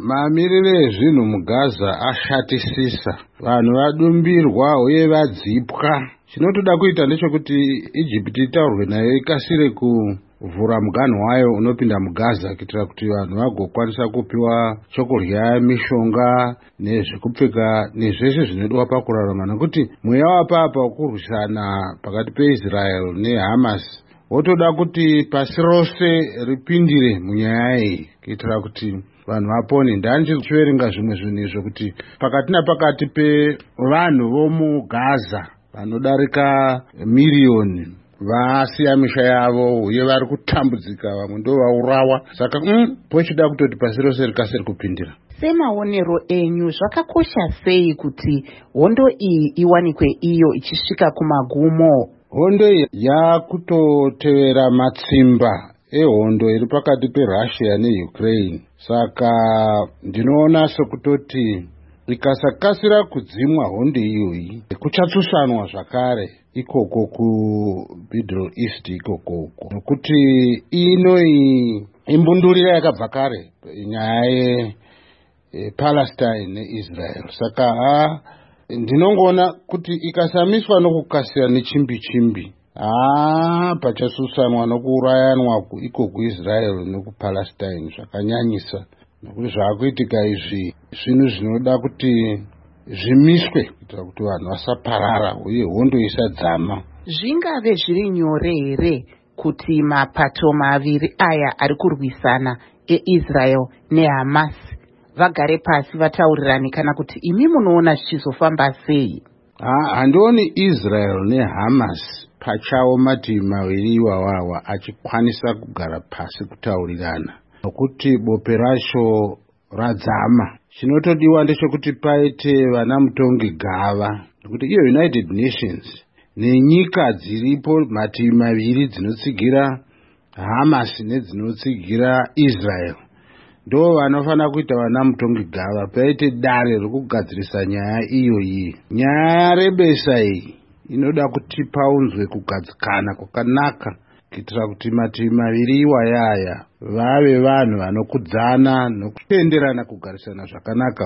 Mamiriro ezvinhu muGaza ashatisisa. Vanhu vadumbirwa uye vadzipwa. Chinotoda kuita ndechekuti Ijipiti itaurwe nayo ikasire kuvhura muganhu wayo unopinda muGaza kuitira kuti vanhu vagokwanisa kupiwa chokudya, mishonga nezvekupfeka nezvese zvinodiwa pakurarama, nekuti mweya wapapa wekurwisana pakati peIsrael neHamas wotoda kuti pasi rose ripindire munyaya iyi kuitira kuti vanhu vapone. Ndandichiverenga zvimwe zvinhu izvo kuti pakati napakati pevanhu vomuGaza vanodarika miriyoni vasiya misha yavo uye vari kutambudzika, vamwe ndo vaurawa. Saka pochida kutoti pasi rose rikasiri kupindira. Semaonero enyu, zvakakosha sei kuti hondo iyi iwanikwe iyo ichisvika kumagumo? Hondo iyi yakutotevera matsimba ehondo iri pakati peRussia neUkraine, saka ndinoona sekutoti ikasakasira kudzimwa hondo iyoyi, kuchatsusanwa zvakare ikoko kuMiddle East ikokoko, nokuti inoi imbundurira yakabva kare nyaya yePalestine neIsrael. Saka ha, ndinongoona kuti ikasamiswa nokukasira nechimbi chimbi, haa, pachasusanwa nokuurayanwa iko kuIsrael nekuPalestine zvakanyanyisa, nokuti zvaakuitika izvi zvinhu zvinoda kuti zvimiswe kuitira kuti vanhu vasaparara uye hondo isadzama. Zvingave zviri nyore here kuti mapato maviri aya ari kurwisana, eIsrael neHamas, vagare pasi vataurirane, kana kuti imi munoona zvichizofamba sei? Handioni Israel neHamas pachawo mativi maviri iwawawa achikwanisa kugara pasi kutaurirana, nokuti bope racho radzama. Chinotodiwa ndechekuti paite vana mutongi gava, nokuti iyo United Nations nenyika dziripo mativi maviri dzinotsigira Hamas nedzinotsigira Israel ndo vanofanira kuita vana mutongi gava, paite dare rokugadzirisa nyaya iyoyi. Nyaya yarebesa iyi inoda kuti paunzwe kugadzikana kwakanaka kuitira kuti mativi maviri iwayaya vave vanhu vanokudzana nokutenderana kugarisana zvakanaka.